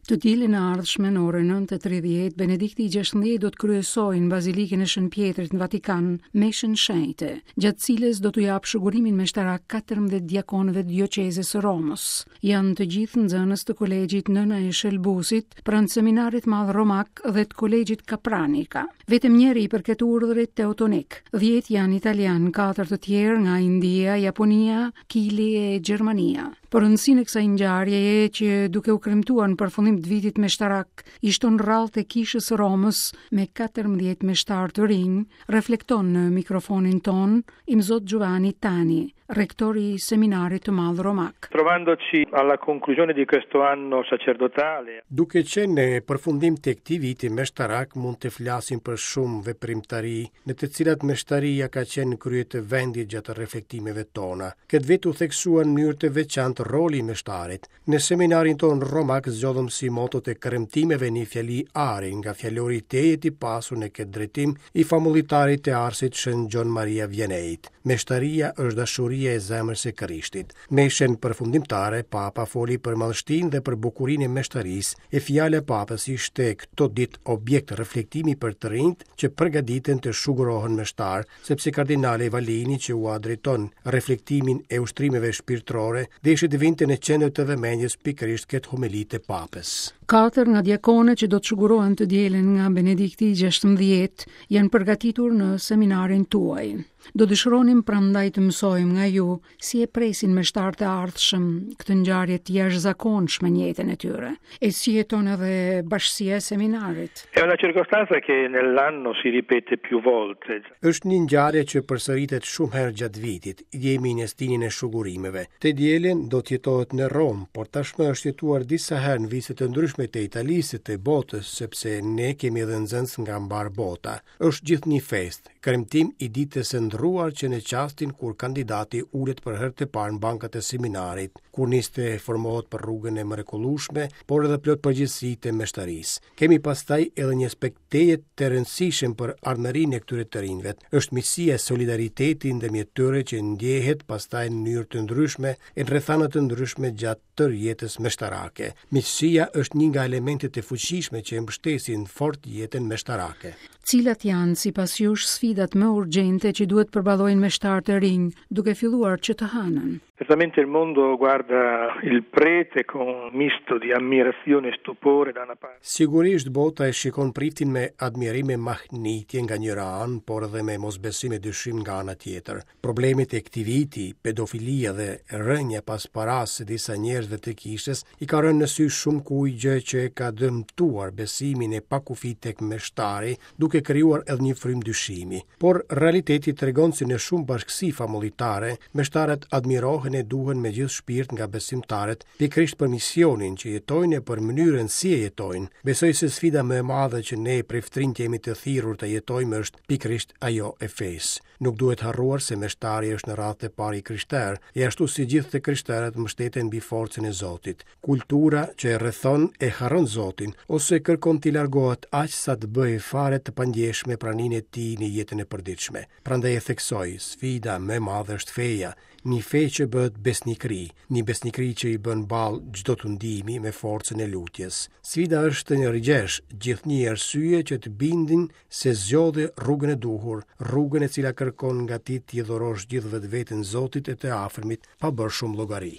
Të dielën e ardhshme në orën 9:30, Benedikti i XVI do të kryesojë në Bazilikën e Shën Pjetrit në Vatikan meshën shenjte, gjatë cilës do t'u japë shugurimit meshtarak 14 diakonëve të dioqezës së Romës. Janë të gjithë nxënës të kolegjit Nëna e Shëlbuesit pranë Seminarit Madh Romak dhe të kolegjit Kapranika. Vetëm njëri i përket urdhrit Teutonik. 10 janë italianë, 4 të tjerë nga India, Japonia, Kili e Gjermania. Për rëndësinë e kësaj ngjarjeje që duke u kremtuar në përfundim të vitit meshtarak, i shton radhët e Kishës së Romës me 14 meshtarë të rinj, reflekton në mikrofonin tonë Imzot Giovanni Tani, rektor i Seminarit të Madh Romak. Trovandoci alla conclusione di questo anno sacerdotale. Duke qenë në përfundim të këtij viti meshtarak mund të flasim për shumë veprimtari në të cilat meshtaria ka qenë në krye të vendit gjatë reflektimeve tona. Këtë vit u theksua në mënyrë të veçantë roli i meshtarit. Në seminarin tonë romak zgjodhëm si moto të kremtimeve një fjali ari nga fjalori tejet i pasur në këtë drejtim i famullitarit të Arsit Shën Gjon Maria Vianeit. Meshtaria është dashuria e zemrës së Krishtit. Meshën përfundimtare, Papa foli për madhështinë dhe për bukurinë e meshtarisë, e fjala e Papës ishte këto ditë objekt reflektimi për të rinjtë që përgatiten të shugurohen meshtarë, sepse kardinali Vallini që ua drejton reflektimin e ushtrimeve shpirtërore, deshi të vinte në qendër të vëmendjes pikërisht këtë homeli të Papës. Katër nga diakonët që do të shugurohen të dielën nga Benedikti i XVI janë përgatitur në seminarin tuaj. Do dëshironim prandaj të mësojmë nga ju si e presin meshtarët e ardhshëm këtë ngjarje të jashtëzakonshme në jetën e tyre, e si jeton edhe bashkësia e seminarit. È una circostanza che nell'anno si ripete più volte. Është një ngjarje që përsëritet shumë herë gjatë vitit. Jemi në stinën e shugurimeve. Të dielën do të jetohet në Romë, por tashmë është jetuar disa herë në vise të ndryshme të Italisë e të botës, sepse ne kemi edhe nxënës nga mbarë bota. Është gjithnjë festë, kremtim i ditës së ndërruar që në çastin kur kandidati ulet për herë të parë në bankat e seminarit, kur nis të formohet për rrugën e mrekullueshme, por edhe plot përgjegjësi të meshtarisë. Kemi pastaj edhe një aspekt tejet të rëndësishëm për ardhmërinë e këtyre të rinjve. Është miqësia e solidariteti ndërmjet tyre që ndjehet pastaj në mënyrë të ndryshme e në rrethana të ndryshme gjatë tërë jetës meshtarake. Miqësia është një nga elementet e fuqishme që e mbështesin fort jetën meshtarake. Cilat janë, sipas jush, sfidat më urgjente që duhet përballojnë meshtarët e rinj, duke filluar që të hënën? Certamente il mondo guarda il prete con un misto di ammirazione e stupore da una parte. Sigurisht bota e shikon priftin me admirim e mahnitje nga njëra anë, por edhe me mosbesim e dyshim nga ana tjetër. Problemet e këtij viti, pedofilia dhe rënia pas parasë së disa njerëzve të kishës, i ka rënë në sy shumëkujt gjë që e ka dëmtuar besimin e pakufi tek meshtari, duke krijuar edhe një frymë dyshimi. Por realiteti tregon se në shumë bashkësi famullitare, meshtarët admirohen e duhen me gjithë shpirt nga besimtarët, pikërisht për misionin që jetojnë e për mënyrën si e jetojnë. Besoj se sfida më e madhe që ne priftërinjtë jemi të thirrur të jetojmë është pikërisht ajo e fesë. Nuk duhet harruar se meshtari është në radhë të parë i krishterë, e ashtu si gjithë të krishterët mbështeten mbi forcën e Zotit. Kultura që e rrethon e harron Zotin, ose kërkon t'i largohet aq sa të bëjë fare të pandjeshme praninë e tij në jetën e përditshme. Prandaj e theksoj, sfida më e madhe është feja, një fe që bëhet besnikëri, një besnikëri që i bën ballë çdo tundimi me forcën e lutjes. Sfida është të gjesh gjithnjë arsye që të bindin se zgjodhe rrugën e duhur, rrugën e cila kërkon nga ti t'i dhurosh gjithë vetveten Zotit e të afërmit, pa bërë shumë llogari.